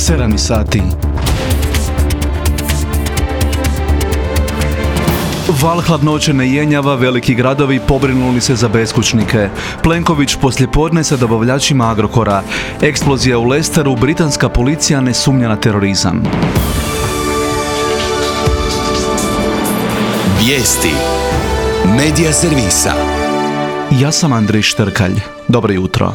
7 sati. Val hladnoće ne jenjava, veliki gradovi pobrinuli se za beskućnike. Plenković poslijepodne sa dobavljačima Agrokora. Eksplozija u Lesteru, britanska policija ne sumnja na terorizam. Vijesti Medija servisa. Ja sam Andrej Štrkalj. Dobro jutro.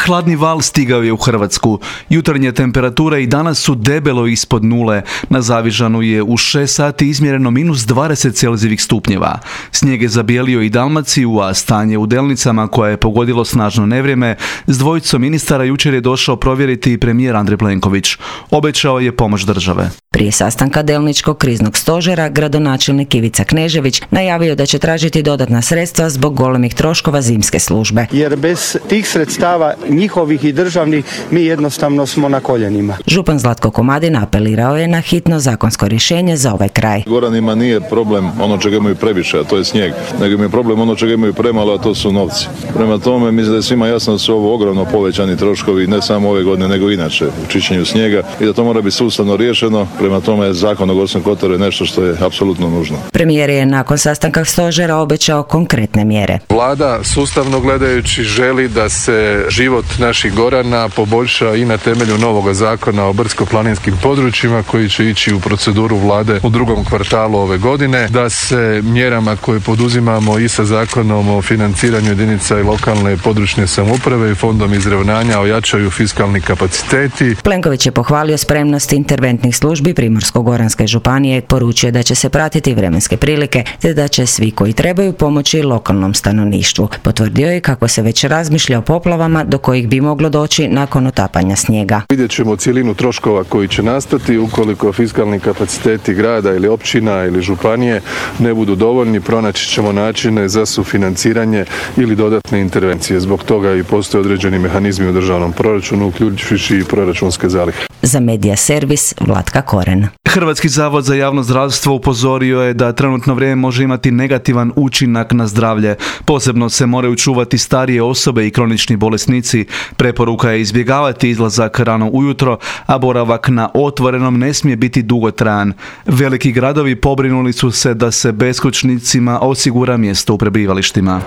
Hladni val stigao je u Hrvatsku. Jutarnje temperature i danas su debelo ispod nule. Na Zavižanu je u 6 sati izmjereno minus 20 celzijevih stupnjeva. Snijeg je zabijelio i Dalmaciju, a stanje u Delnicama, koje je pogodilo snažno nevrijeme, s dvojicom ministara jučer je došao provjeriti i premijer Andrej Plenković. Obećao je pomoć države. Prije sastanka Delničkog kriznog stožera, gradonačelnik Ivica Knežević najavio da će tražiti dodatna sredstva zbog golemih troškova zimske službe. Jer bez tih sredstava njihovih i državnih mi jednostavno smo na koljenima. Župan Zlatko Komadin apelirao je na hitno zakonsko rješenje za ovaj kraj. Goranima nije problem ono čega imaju previše, a to je snijeg, nego im je problem ono čega imaju premalo, a to su novci. Prema tome, mislim da je svima jasno da su ovo ogromno povećani troškovi, ne samo ove godine, nego inače u čišćenju snijega i da to mora biti sustavno riješeno. Prema tome, Zakon o Gorskom kotaru je nešto što je apsolutno nužno. Premijer je nakon sastanka stožera obećao konkretne mjere. Vlada sustavno gledajući želi da se život naših Gorana poboljša i na temelju novog zakona o brdsko-planinskim područjima koji će ići u proceduru Vlade u drugom kvartalu ove godine, da se mjerama koje poduzimamo i sa Zakonom o financiranju jedinica i lokalne i područne samouprave i Fondom izravnanja ojačaju fiskalni kapaciteti. Plenković je pohvalio spremnost interventnih službi Primorsko-goranske županije, poručio da će se pratiti vremenske prilike te da će svi koji trebaju pomoći lokalnom stanovništvu. Potvrdio je kako se već razmišlja o poplavama do kojih bi moglo doći nakon otapanja snijega. Vidjet ćemo cjelinu troškova koji će nastati ukoliko fiskalni kapaciteti grada ili općina ili županije ne budu dovoljni, pronaći ćemo načine za sufinanciranje ili dodatne intervencije. Zbog toga i postoje određeni mehanizmi u državnom proračunu, uključujući i proračunske zalihe. Za Medija servis Vlatka Koren. Hrvatski zavod za javno zdravstvo upozorio je da trenutno vrijeme može imati negativan učinak na zdravlje. Posebno se moraju čuvati starije osobe i kronični bolesnici. Preporuka je izbjegavati izlazak rano ujutro, a boravak na otvorenom ne smije biti dugotrajan. Veliki gradovi pobrinuli su se da se beskućnicima osigura mjesto u prebivalištima.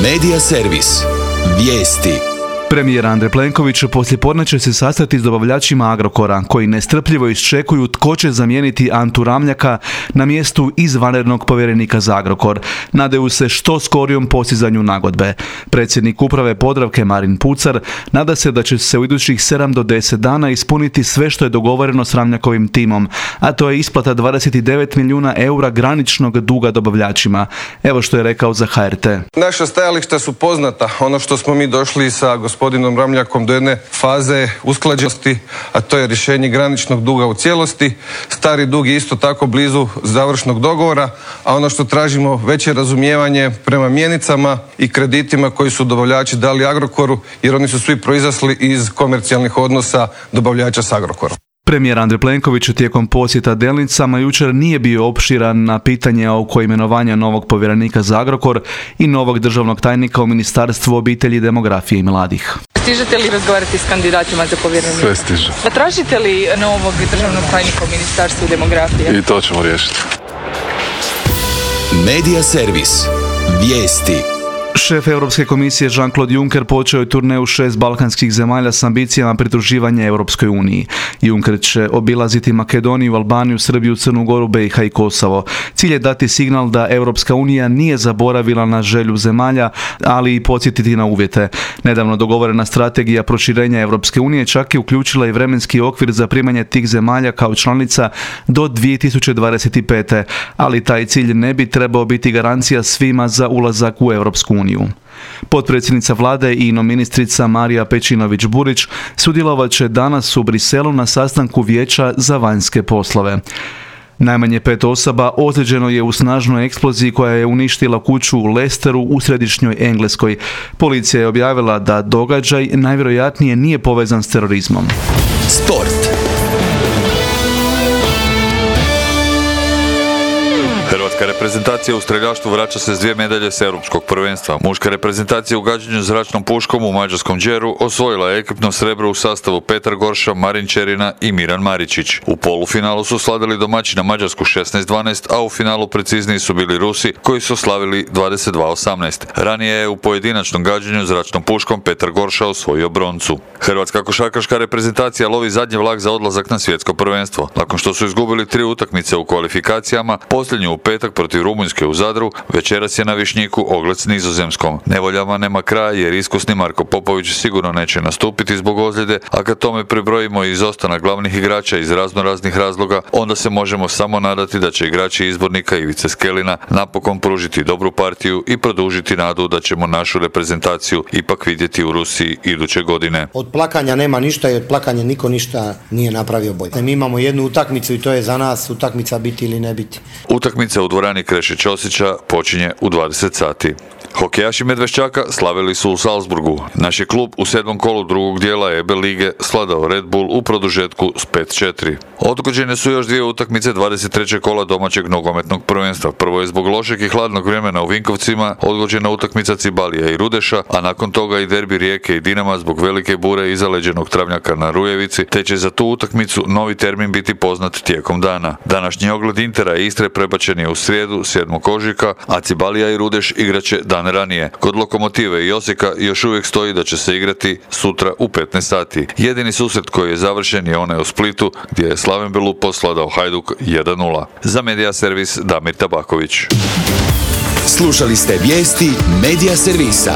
Medija servis. Vijesti. Premijer Andrej Plenković poslijepodne će se sastati s dobavljačima Agrokora, koji nestrpljivo iščekuju tko će zamijeniti Antu Ramljaka na mjestu izvanrednog povjerenika za Agrokor. Nadaju se što skorijom postizanju nagodbe. Predsjednik uprave Podravke Marin Pucar nada se da će se u idućih 7 do 10 dana ispuniti sve što je dogovoreno s Ramljakovim timom, a to je isplata 29 milijuna eura graničnog duga dobavljačima. Evo što je rekao za HRT. Naša stajališta su poznata. Ono što smo mi došli sa gospodinom Ramljakom do jedne faze usklađenosti, a to je rješenje graničnog duga u cijelosti. Stari dug je isto tako blizu završnog dogovora, a ono što tražimo veće razumijevanje prema mjenicama i kreditima koji su dobavljači dali Agrokoru, jer oni su svi proizašli iz komercijalnih odnosa dobavljača s Agrokorom. Premijer Andrej Plenković tijekom posjeta Delnicama jučer nije bio opširan na pitanje oko imenovanja novog povjerenika za Agrokor i novog državnog tajnika u Ministarstvu obitelji, demografije i mladih. Stižete li razgovarati s kandidatima za povjerenika? Sve stiže. Pa tražite li novog državnog tajnika u Ministarstvu demografije? I to ćemo riješiti. Medija servis. Vijesti. Šef Europske komisije Jean-Claude Juncker počeo je turneju 6 balkanskih zemalja s ambicijama pridruživanja Europskoj uniji. Juncker će obilaziti Makedoniju, Albaniju, Srbiju, Crnu Goru, BiH i Kosovo. Cilj je dati signal da Europska unija nije zaboravila na želju zemalja, ali i podsjetiti na uvjete. Nedavno dogovorena strategija proširenja Europske unije čak je uključila i vremenski okvir za primanje tih zemalja kao članica do 2025. Ali taj cilj ne bi trebao biti garancija svima za ulazak u Europsku uniju. Potpredsjednica vlade i ministrica Marija Pejčinović-Burić sudjelovat će danas u Briselu na sastanku Vijeća za vanjske poslove. Najmanje 5 osoba ozlijeđeno je u snažnoj eksploziji koja je uništila kuću u Lesteru u središnjoj Engleskoj. Policija je objavila da događaj najvjerojatnije nije povezan s terorizmom. Sport. Hrvatska reprezentacija u streljaštvu vraća se s 2 medalje s europskog prvenstva. Muška reprezentacija u gađanju zračnom puškom u mađarskom Đeru osvojila je ekipno srebro u sastavu Petar Gorša, Marin Čerina i Miran Maričić. U polufinalu su slavili domaćina Mađarsku 16-12, a u finalu precizniji su bili Rusi koji su slavili 22-18. Ranije je u pojedinačnom gađanju zračnom puškom Petar Gorša osvojio broncu. Hrvatska košarkaška reprezentacija lovi zadnji vlak za odlazak na svjetsko prvenstvo. Nakon što su izgubili 3 utakmice u kvalifikacijama, posljednju u petak protiv Rumunjske u Zadru, večeras je na Višnjiku ogled s Nizozemskom. Nevoljama nema kraja jer iskusni Marko Popović sigurno neće nastupiti zbog ozljede, a kad tome pribrojimo i izostanak glavnih igrača iz raznoraznih razloga, onda se možemo samo nadati da će igrači izbornika Ivice Skelina napokon pružiti dobru partiju i produžiti nadu da ćemo našu reprezentaciju ipak vidjeti u Rusiji iduće godine. Od plakanja nema ništa i od plakanja niko ništa nije napravio bolje. Mi imamo jednu utakmicu i to je za nas utakmica biti ili ne biti. Utakmica u dvorani Kreše Ćosića počinje u 20 sati. Hokejaši Medveščaka slavili su u Salzburgu. Naš je klub u 7. kolu drugog dijela EB lige svladao Red Bull u produžetku s 5-4. Odgođene su još 2 utakmice 23. kola domaćeg nogometnog prvenstva. Prvo je zbog lošeg i hladnog vremena u Vinkovcima odgođena utakmica Cibalija i Rudeša, a nakon toga i derbi Rijeke i Dinama zbog velike bure i zaleđenog travnjaka na Rujevici, te će za tu utakmicu novi termin biti poznat tijekom dana. Današnji ogled Intera i Istre prebačen je u srijedu 7. ožujka, a Cibalija i Rudeš igraće dan ranije. Kod Lokomotive i Osijeka još uvijek stoji da će se igrati sutra u 15 sati. Jedini susret koji je završen je onaj u Splitu gdje je Slaven Belupo svladao Hajduk 1-0. Za Medija servis Damir Tabaković. Slušali ste vijesti Medija servisa.